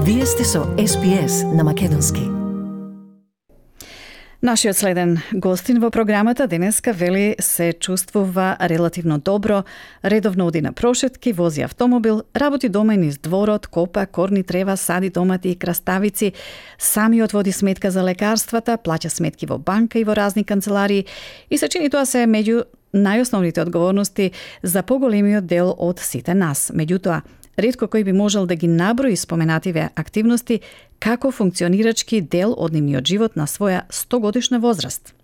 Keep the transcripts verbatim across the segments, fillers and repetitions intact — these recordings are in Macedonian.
Вие сте со Ес Би Ес на Македонски. Нашиот следен гостин во програмата денеска вели се чувствува релативно добро, редовно оди на прошетки, вози автомобил, работи дома и низ дворот, копа, корни трева, сади домати и краставици, самиот води сметка за лекарствата, плаќа сметки во банка и во разни канцеларии и се чини тоа се меѓу најосновните одговорности за поголемиот дел од сите нас. Меѓутоа, ретко кој би можел да ги наброи споменативе активности како функционирачки дел од нивниот живот на своја стогодишна возраст.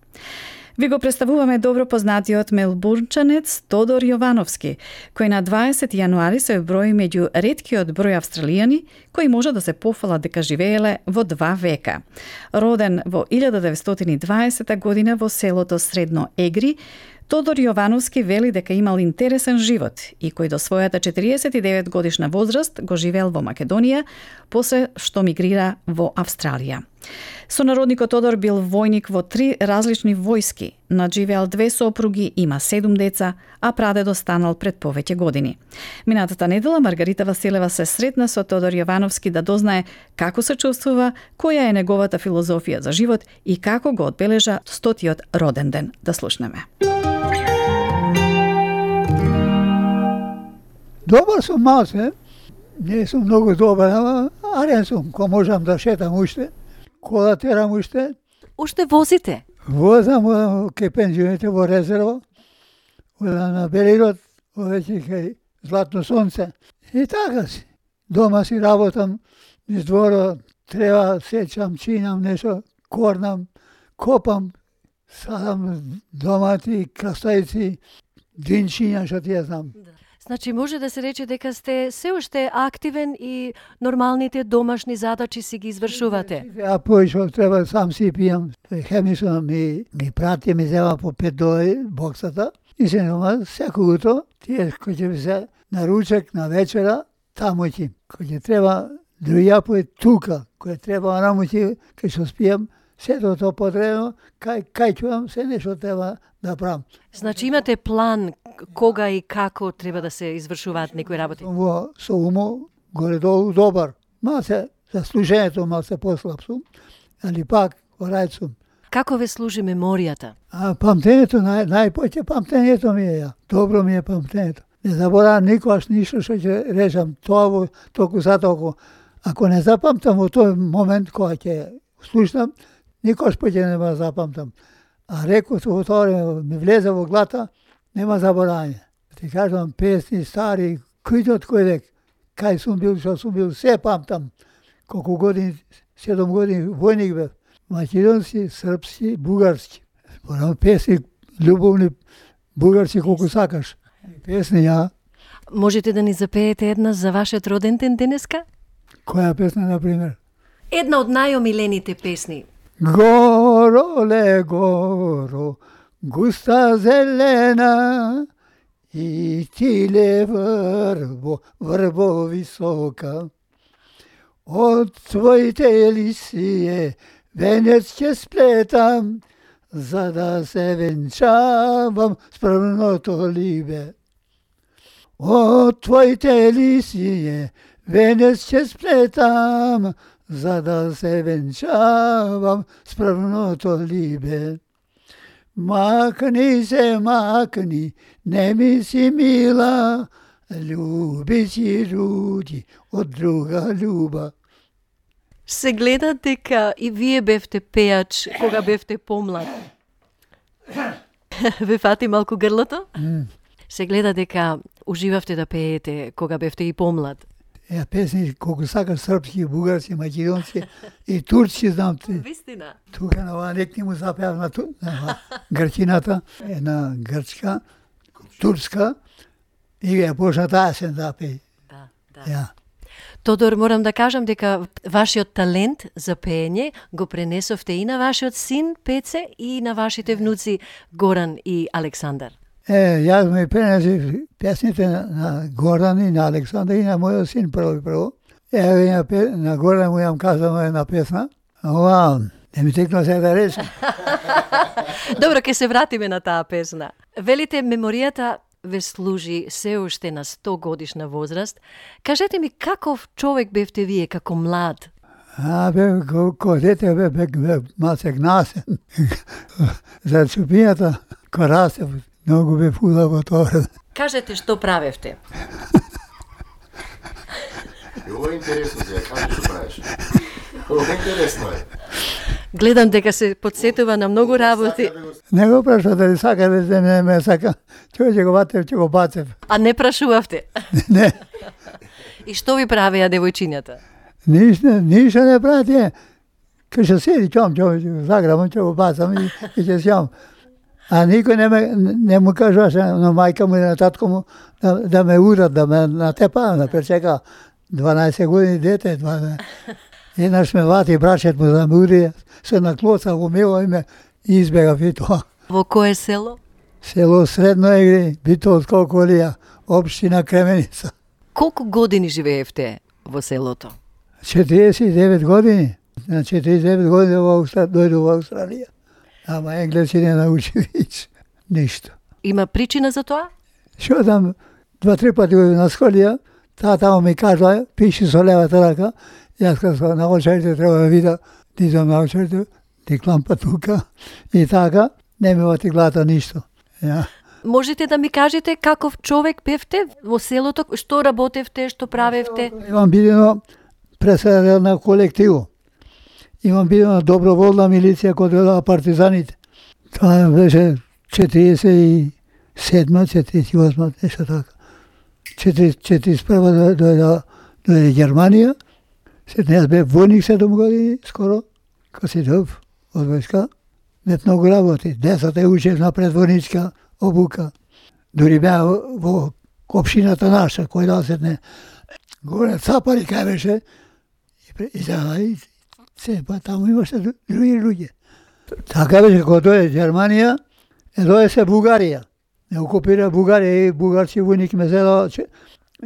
Ви го представуваме добро познатиот мелбурнчанец Тодор Јовановски, кој на дваесети јануари се брои меѓу реткиот број австралијани кои може да се пофалат дека живееле во два века. Роден во илјада деветстотини и дваесета година во селото Средно Егри, Тодор Јовановски вели дека имал интересен живот и кој до својата четириесет и девет годишна возраст го живеел во Македонија, после што мигрира во Австралија. Сонародникот Тодор бил војник во три различни војски, надживеал две сопруги, има седум деца, а прадедо станал пред повеќе години. Минатата недела Маргарита Василева се сретна со Тодор Јовановски да дознае како се чувствува, која е неговата филозофија за живот и како го одбележа стотиот роден ден. Да слушнеме. Добар сум малце, не сум многу добар, ама арен сум, ко можам да шетам уште, кола терам уште. Уште возите? Возам кај пензионите во резерва, на Белирод, овеќе кај Златно сонце. И така си. Дома си работам, низ дворот, треба сечам, чинам нешто, корнам, копам, садам домати, краставици, динчиња, што ти ја знам. Значи може да се рече дека сте се уште активен и нормалните домашни задачи си ги извршувате. А појшо треба сам си пијам. Хемисо ми ги прати, ми зема по пет доли боксата и се дома секој утро, тие кој ќе се на ручек, на вечера, таму ќе. Кој ќе треба друја пој тука, кој треба рамуќи, кај што спијам, сето тоа потребно, кај кај чувам, се нешто треба да правам. Значи имате план кога и како треба да се извршуваат некои работи? Во со умо горе-долу добар. Малце за служењето малце послаб сум, али пак рај сум. Како ве служи меморијата? А памтењето, нај, најпоќе памтењето ми е ја. Добро ми е памтењето. Не заборавам никогаш ништо што ќе речам тоа во току за току. Ако не запамтам во тој момент кога ќе слушнам, никогаш поќе нема запамтам. А рекот во тоа ми влезе во глата, нема заборање. Ти кажам, песни стари, кој од кој век, кај сум бил, што сум бил, се памтам. Колку години, седум години војник бев. Македонски, српски, бугарски. Зборам песни, љубовни, бугарски, колку сакаш. Песни, ја. Можете да ни запеете една за вашиот роден ден денеска? Која песна, например? Една од најомилените песни. Горо ле горо, густа зелена, и тиле врбо, врбо висока. Од твоите лисие венец ќе сплетам, за да се венчавам с првното либе. Од твоите лисие венец ќе сплетам, за да се венчавам с првното либе. Макни се, макни, не ми си мила, љуби си руди од друга љуба. Се гледа дека и вие бевте пеач кога бевте помлад. Ве фати малку грлото? Mm. Се гледа дека уживавте да пеете кога бевте и помлад. Ја песни колку сакаш српски, бугарски, македонски и турски знам ти. Вистина. Тука на ова некни му запеав на, ту, на грчината, една грчка, турска и ја почна таа се да пее. Да, да. Ја. Тодор, морам да кажам дека вашиот талент за пеење го пренесовте и на вашиот син Пеце и на вашите внуци Горан и Александар. Е, јас ми пренесив песните на, на Горан и на Александар и на мојот син прво и прво. Еве на, на Горан му јам казано една песна. Ова, не ми текна се да речем. Добро, ќе се вратиме на таа песна. Велите, меморијата ве служи се уште на сто годишна возраст. Кажете ми, каков човек бевте вие како млад? А, бе, ко, ко дете бе, бе, бе малце гнасен. За чупијата, ко расте, многу бе фулаво тоа. Кажете што правевте. Ово е интересно сега, кажи што правиш. Ово е интересно е. Гледам дека се подсетува на многу работи. Не го праша дали сака да се не ме сака. Чој ќе го батев, ќе го бацев. А не прашувавте? Не. И што ви правеа девојчињата? Ништо, ништо не правите. Кај ќе седи, ќом, ќом, заграм, ќе го бацам и, и ќе сјам. А никој не, ме, не му кажуваше на мајка му и на татко му да, да ме урат, да ме натепа, да пречека дванаесет години дете. дванаесет. Еднаш ме вати брачет му да ме ури, се наклоца во мило и ме избегав и тоа. Во кое село? Село Средно Егри, Битол Колколија, општина Кременица. Колку години живеевте во селото? четириесет и девет години. На четириесет и девет години во Австралија, дојду во Австралија. Ама енглески не научи вич. Ништо. Има причина за тоа? Шо там два-три пати на школија, таа таму ми кажа, пиши со левата рака, јас кажа, на очерите треба да вида, дизам на очерите, ти клампа тука, и така, не ми вати глата ништо. Ja. Можете да ми кажете каков човек бевте во селото, што работевте, што правевте? Имам бидено председател на колективу. Имам бидено доброволна милиција кој дојдоа партизаните. Тоа беше четириесет и седма, четириесет и осма, нешто така. четириесет и прва дојде дојде Германија. Сед јас бев војник седум години, скоро, кога си дов од војска. Бев многу работи. Децата ја учев на предвојничка обука. Дури беа во општината наша, кој да се не горе цапари кај беше. И сега, и се, па таму имаше други луѓе. Така беше, кога дојде Германија, е дојде се Бугарија. Не окупира Бугарија и бугарски војник ме зедо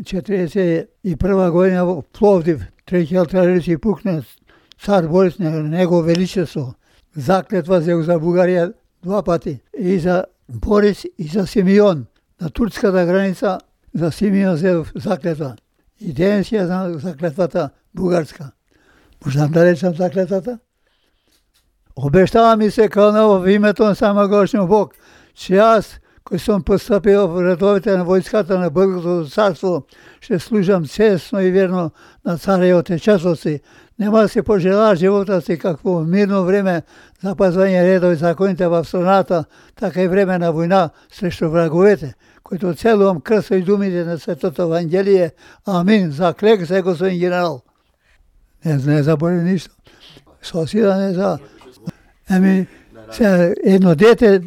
четириесет и прва година во Пловдив. Треќи артилеријски пукне цар Борис, него величество. Заклетва се за Бугарија два пати. И за Борис и за Симеон. На турската граница за Симеон се заклетва. И денес ја знам заклетвата бугарска. Можам да речам заклетвата? Обештава ми се кано во името на самогошниот Бог, че јас, кој сум постапил во редовите на војската на Българското царство, ще служам честно и верно на царевите часоци. Нема да се пожелаа живота си какво во мирно време запазвање редови законите во страната, така и време на војна срещу враговете, којто целувам крсо и думите на Светото Евангелие. Амин. Заклек се, господин генерал. Не, не забори ништо. Сосида не за... Еми, се, едно дете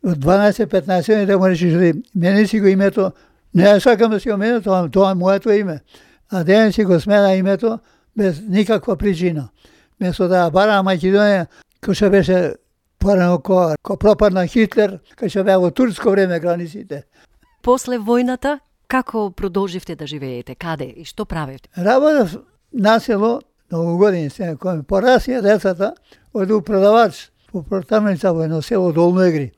од дванаесет-петнаесет години да му речеш, мене си го името, не сакам да си го мене, тоа, тоа е моето име. А ден си го смена името без никаква причина. Место да бара Македонија, кој што беше порано ко, ко пропадна Хитлер, кој што беа во турско време границите. После војната, како продолживте да живеете? Каде и што правевте? Работев на село, многу години се, кој порасија децата, оду продавач по портамница во едно село Долно Егри.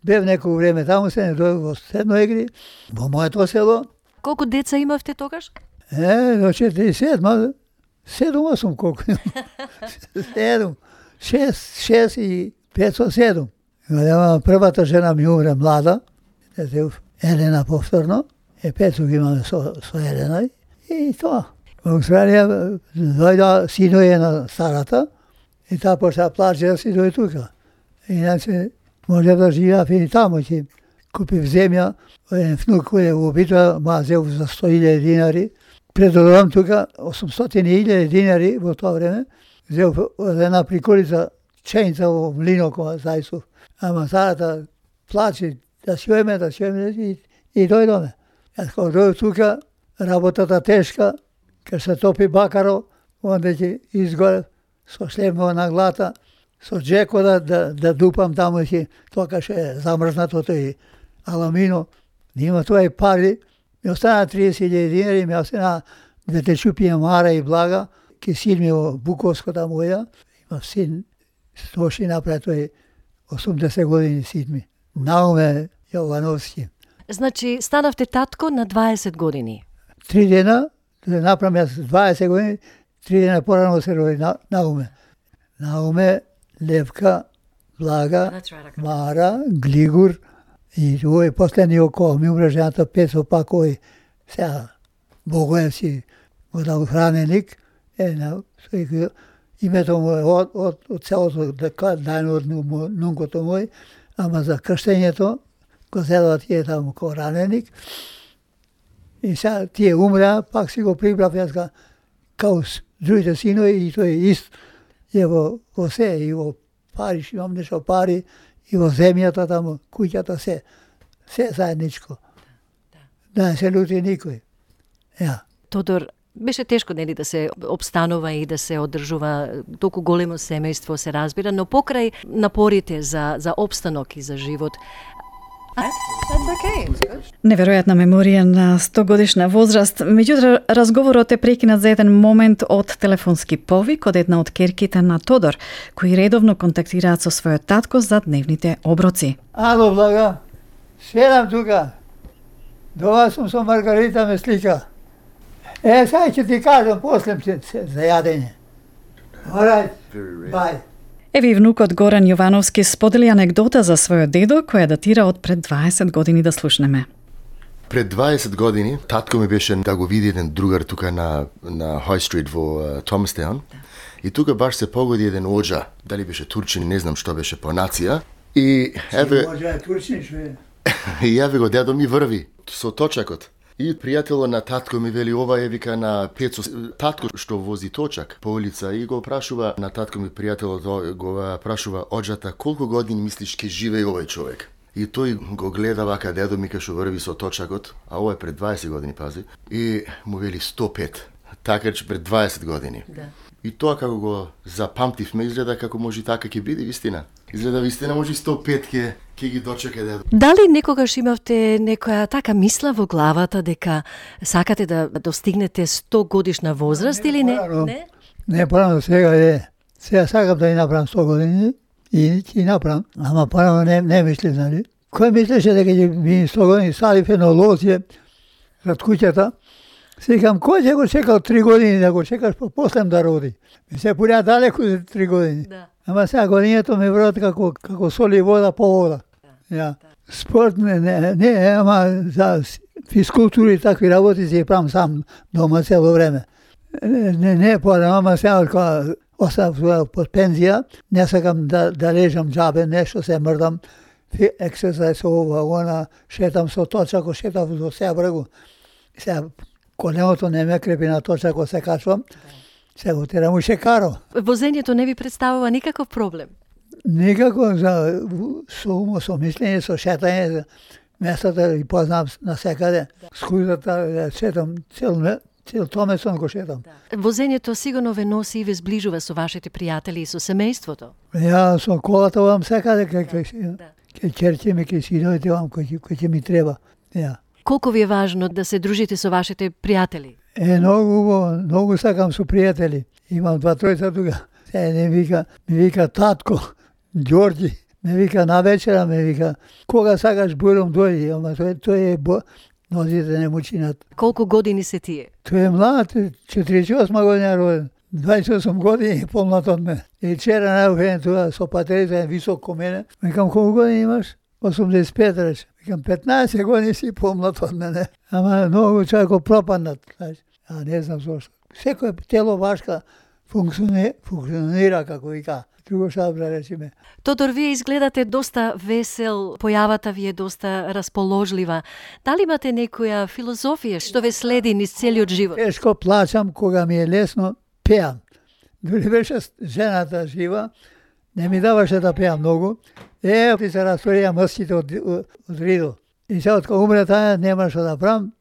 Бев некој време таму, се не дојдов во Средно Егри, во моето село. Колку деца имавте тогаш? Е, до четириесет и седма, седум осум колку имам. Седум, шест, шест и петsto седум. Првата жена ми умре млада, Елена повторно, е петsto ги имаме со, со Елена и тоа. Во Австралија дојда синоје на старата и таа почна плаче да си дојде тука. Иначе може да живеав и таму, ќе купив земја, еден внук кој е во битва, ма зел за сто илјади динари. Предодавам тука осумстотини илјади динари во тоа време. Зел од една приколица ченица во млино која зајсов. Ама старата плаче да си ојме, да си ојме и, и дојдоме. Јас кога дојдов тука, работата тешка, кај се топи бакаро, онде ќе изгорев со шлемова на глата, со джеко да, да, да дупам таму ќе тоа кај е замрзнато тој аламино. Има тоа и пари. Ми остана триесет илјади динари, ми остана двете чупија мара и блага, ке син ми во Буковско таму оја. Има син, стоши направи тој осумдесет години син ми. Науме Јовановски. Значи, станавте татко на дваесет години. Три дена, да направам јас дваесет години, три дена порано се роди на, Науме. Науме, Левка, Блага, Мара, Глигур и овој последни около ми умре жената Пецо пак овој сега Богоев си го дал храненик, е на името му е од, од, од целото дајно од нункото мој, ама за крштењето го зедува тие таму ко раненик. И сега тие умреа, пак си го прибрав јас га, као другите синови и тој ист е во, во се, и во пари, имам нешто пари, и во земјата таму, куќата се, се заедничко. Да не се лути никој. Ja. Тодор, беше тешко нели да се обстанува и да се одржува толку големо семејство, се разбира, но покрај напорите за за опстанок и за живот. Неверојатна меморија на сто годишна возраст, меѓутоа разговорот е прекинат за еден момент од телефонски повик од една од керките на Тодор, кои редовно контактираат со својот татко за дневните оброци. Ало, Блага, седам тука. Дома сум со Маргарита ме слика. Е, сега ќе ти кажам после за јадење. Alright, bye. Еви внукот Горан Јовановски сподели анегдота за својот дедо, која датира од пред дваесет години, да слушнеме. Пред дваесет години татко ми беше да го види еден другар тука на на High Street во uh, Thomastown. И тука баш се погоди еден оџа, дали беше турчин, не знам што беше по нација. И еве Оџа е турчин, што е. И еве го дедо ми врви со точакот. И пријателот на татко ми вели, ова е вика на Пецо, татко што вози точак по улица, и го прашува на татко ми пријателот, го прашува оџата, колку години мислиш ке живее овој човек? И тој го гледа вака, дедо ми кај што врви со точакот, а ова е пред дваесет години, пази, и му вели сто пет. Така че пред дваесет години. Да. И тоа како го запамтивме, изгледа како може така ќе биде вистина. Изгледа вистина може сто пет ке ќе ги дочека дедо. Дали некогаш имавте некоја така мисла во главата дека сакате да достигнете сто годишна возраст или не? Не, не, порано сега е. Сега сакам да ја направам сто години и ќе направам, ама порано не, не мисли, нали? Кој мислеше дека ќе би сто години садив едно лозје зад куќата? Секам, кој ќе го чекал три години да го чекаш после да роди? Ми се пуѓа далеку за три години. Да. Ама сега годињето ми врат како, како соли вода по вода. Да. Ja. Спорт не, не, не, ама за физкултури и такви работи си правам сам дома цело време. Не, не, не порано, ама сега кога остав под пензија, не сакам да, да лежам джабе, нешто се мрдам, ексерсайз ова, она, шетам со точако, шетам до Себрегу. Сега коленото не ме крепи на точако, се качвам, се го терам у шекаро. Возењето не ви представува никаков проблем? Никако, за, со умо, со мислење, со шетање, местата и познам насекаде. Скузата, шетам цел, цел Томесон го шетам. Да. Возењето сигурно ве носи и ве зближува со вашите пријатели и со семејството. Ја со колата овам секаде, кај кај Да. кај черчиме, кај синовите овам, кој кој ќе ми треба. Ја. Колку ви е важно да се дружите со вашите пријатели? Е, многу убаво, многу сакам со пријатели. Имам два тројца тука. Се не вика, ми вика татко, Ѓорѓи, ме вика на вечера, ме вика, кога сакаш буром дојди, ама тој, тој е бо... нозите не му чинат. Колку години се тие? Тој е млад, четириесет и осма година роден, дваесет и осум години и помлад од мене. И вчера најухен тоа со патерица, висок ко мене, викам, колку години имаш? осумдесет и пет рече. Викам, петнаесет години си помлад од мене. Ама многу човеко пропаднат, знаеш. А не знам зошто. Секој тело вашка функционира, функционира како вика. Друго шабра, речиме. Тодор, вие изгледате доста весел, појавата ви е доста расположлива. Дали имате некоја филозофија што ве следи низ целиот живот? Тешко плачам кога ми е лесно, пеам. Дори беше жената жива, не ми даваше да пеам многу. Е, ти се растворија мъските од, од, од ридо. И сега откога умре таа, нема што да правам.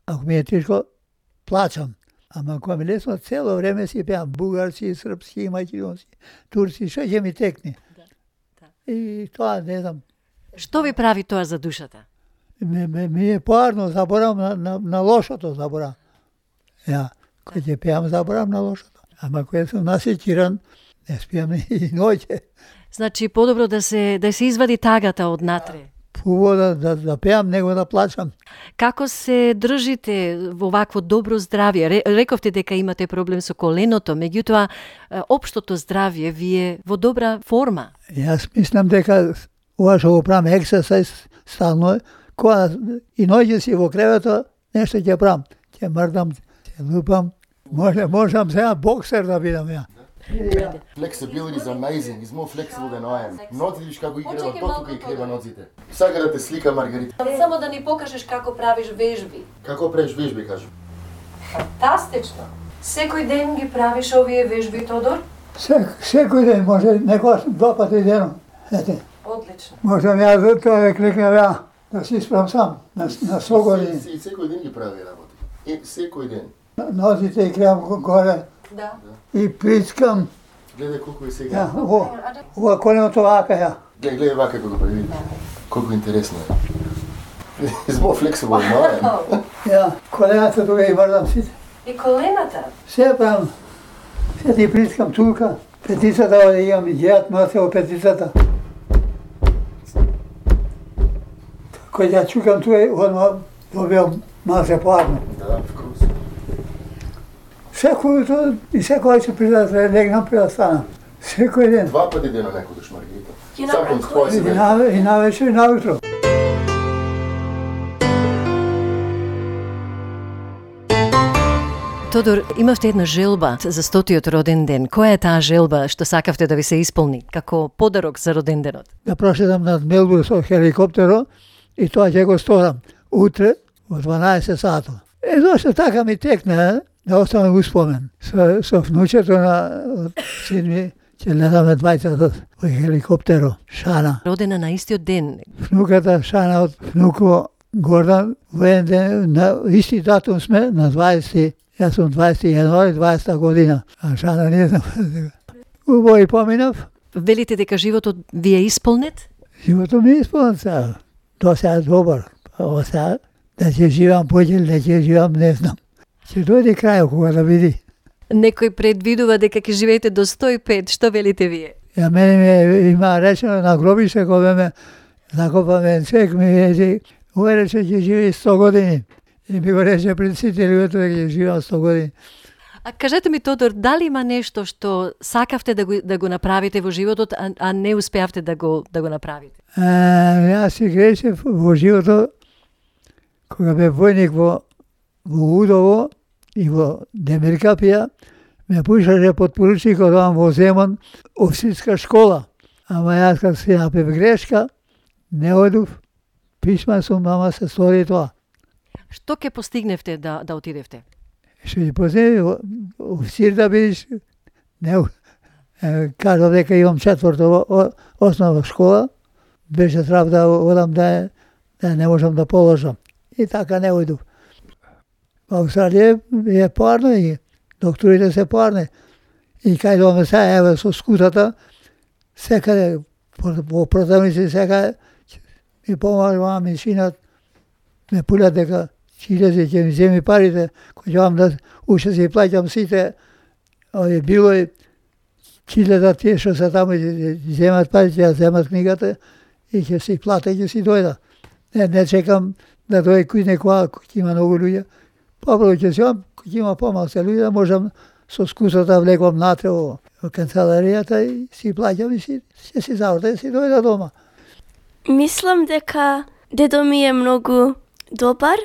Ако ми е тешко, плачам. Ама кога ми лесно, цело време си пеам бугарски, српски, македонски, турски, што ќе ми текне. Да, да. И тоа, не знам, Што ви прави тоа за душата? ми, ми, ми е поарно, заборам на, на, на лошото, заборам. Ја, кој ќе пеам, заборам на лошото. Ама кој сум насекиран, не спиам и ноќе. Значи, подобро да се да се извади тагата од натре. убаво да, да, да пеам, него да плачам. Како се држите во вакво добро здравје? Ре, рековте дека имате проблем со коленото, меѓутоа општото здравје ви е во добра форма. Јас мислам дека ова што го правам ексерсайз стално, кога и ноќе си во кревето, нешто ќе правам. Ќе мрдам, ќе лупам. Може, можам сега боксер да бидам ја. Flexibility is amazing. He's more flexible than I am. Ноци видиш како играва, тука и крева ноците. Сака да те слика Маргарита. Само да ни покажеш како правиш вежби. Како правиш вежби, кажу? Фантастично. Секој ден ги правиш овие вежби, Тодор? Сек, секој ден, може некојаш два пати денот. Ете. Одлично. Можам ја да тоа да кликнам ја, да си испрам сам, на, на сто години. И секој ден ги прави работи. И секој ден. Нозите и кревам горе. Да. И причкам. Гледај колку е сега. Ја, ово, ова коленото вака ја. Гледај, гледај вака како го прави. Колку интересно е. He's more flexible than I am. Ја, колената тука и мрдам сите. И колената? Се правам. Се ти причкам тука. Петицата, оде имам и ѓеат носе во петицата. Кој ја чукам тука, одма добивам масе парно. Да, of course. Секој утро и секој се прида да легнам пред да станам. Секој ден. Два пати дено некогаш, Маргарита. You know, Sometimes twice a И day. на, и на вечер и на утро. Тодор, имавте една желба за стотиот роден ден. Која е таа желба што сакавте да ви се исполни како подарок за роден денот? Да прошедам над Мелбурн со хеликоптеро и тоа ќе го сторам утре во дванаесет сато. Е, зашто така ми текна, да остане успомен. Со, со внучето на син ми ќе летаме двајцата во хеликоптеро. Шана. Родена на истиот ден. Внуката Шана од внуко Гордан, во еден ден, на исти датум сме, на дваесети, јас сум дваесети јануари, дваесета година, а Шана не знам. Убаво и поминав, Велите дека животот ви е исполнет? животот ми е исполнет сега. До сега добар, ова сега, да ќе живам поќе, да ќе живам, не знам. Ќе дојде крајот кога да види. Некој предвидува дека ќе живеете до сто и пет, што велите вие? Ја мене ми има речено на гробище кога ме закопаме човек ми рече, овој рече ќе живее сто години. И ми го рече пред сите луѓето дека ќе живеам сто години. А кажете ми, Тодор, дали има нешто што сакавте да го, да го направите во животот, а, а не успеавте да го, да го направите? А, јас си грешев во животот, кога бе војник во, во Удово и во Демиркапија, ме пушаше подпоручникот овам во Земон, офицерска школа. Ама јас кога си направив грешка, не одув, писма сум, ама се стори тоа. Што ќе постигневте да, да отидевте? Што ќе поземи, официр да бидеш, не, е, кажав дека имам четврто о- основна школа, беше трав да одам да, да не можам да положам. И така не ојдов. Во Австралија е парно и докторите се парни. И кај доме сега, еве со скутата, секаде, во продавници секаде, ми помагава машинат, ме пулят дека Чилези ќе ми земи парите, кој ќе вам да уште си плаќам сите, овие билои, Чиледа тие што се таму ќе земат парите, ќе земат книгата и ќе си плата и ќе си дојда. Не, не чекам да дојде кој некоја, кој има многу луѓе. Попро ќе земам, кој има помалку луѓе, да можам со скусата влекам натре во, во канцеларијата и си плаќам и си, ќе си заврта и си дојда дома. Мислам дека дедо ми е многу добар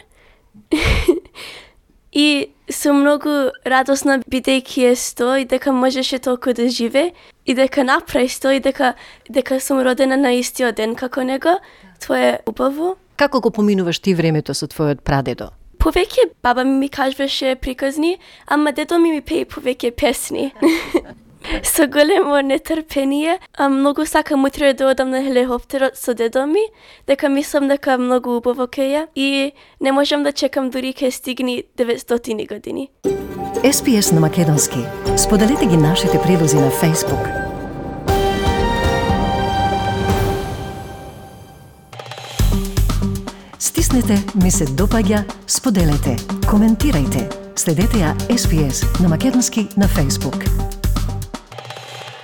и сум многу радосна бидејќи е сто и дека можеше толку да живе и дека направи сто и дека, дека сум родена на истиот ден како него. Тоа е убаво. Како го поминуваш ти времето со твојот прадедо? Повеќе баба ми ми кажуваше приказни, ама дедо ми ми пее повеќе песни. Со големо нетрпение, а многу сакам утре да одам на хеликоптерот со дедо ми, дека мислам дека многу убаво ке е и не можам да чекам дури ке стигни деветстотини години. Ес Пи Ес на македонски. Споделете ги нашите предлози на Facebook. Стиснете ми се допаѓа, споделете, коментирајте. Следете ја Ес Пи Ес на македонски на Facebook.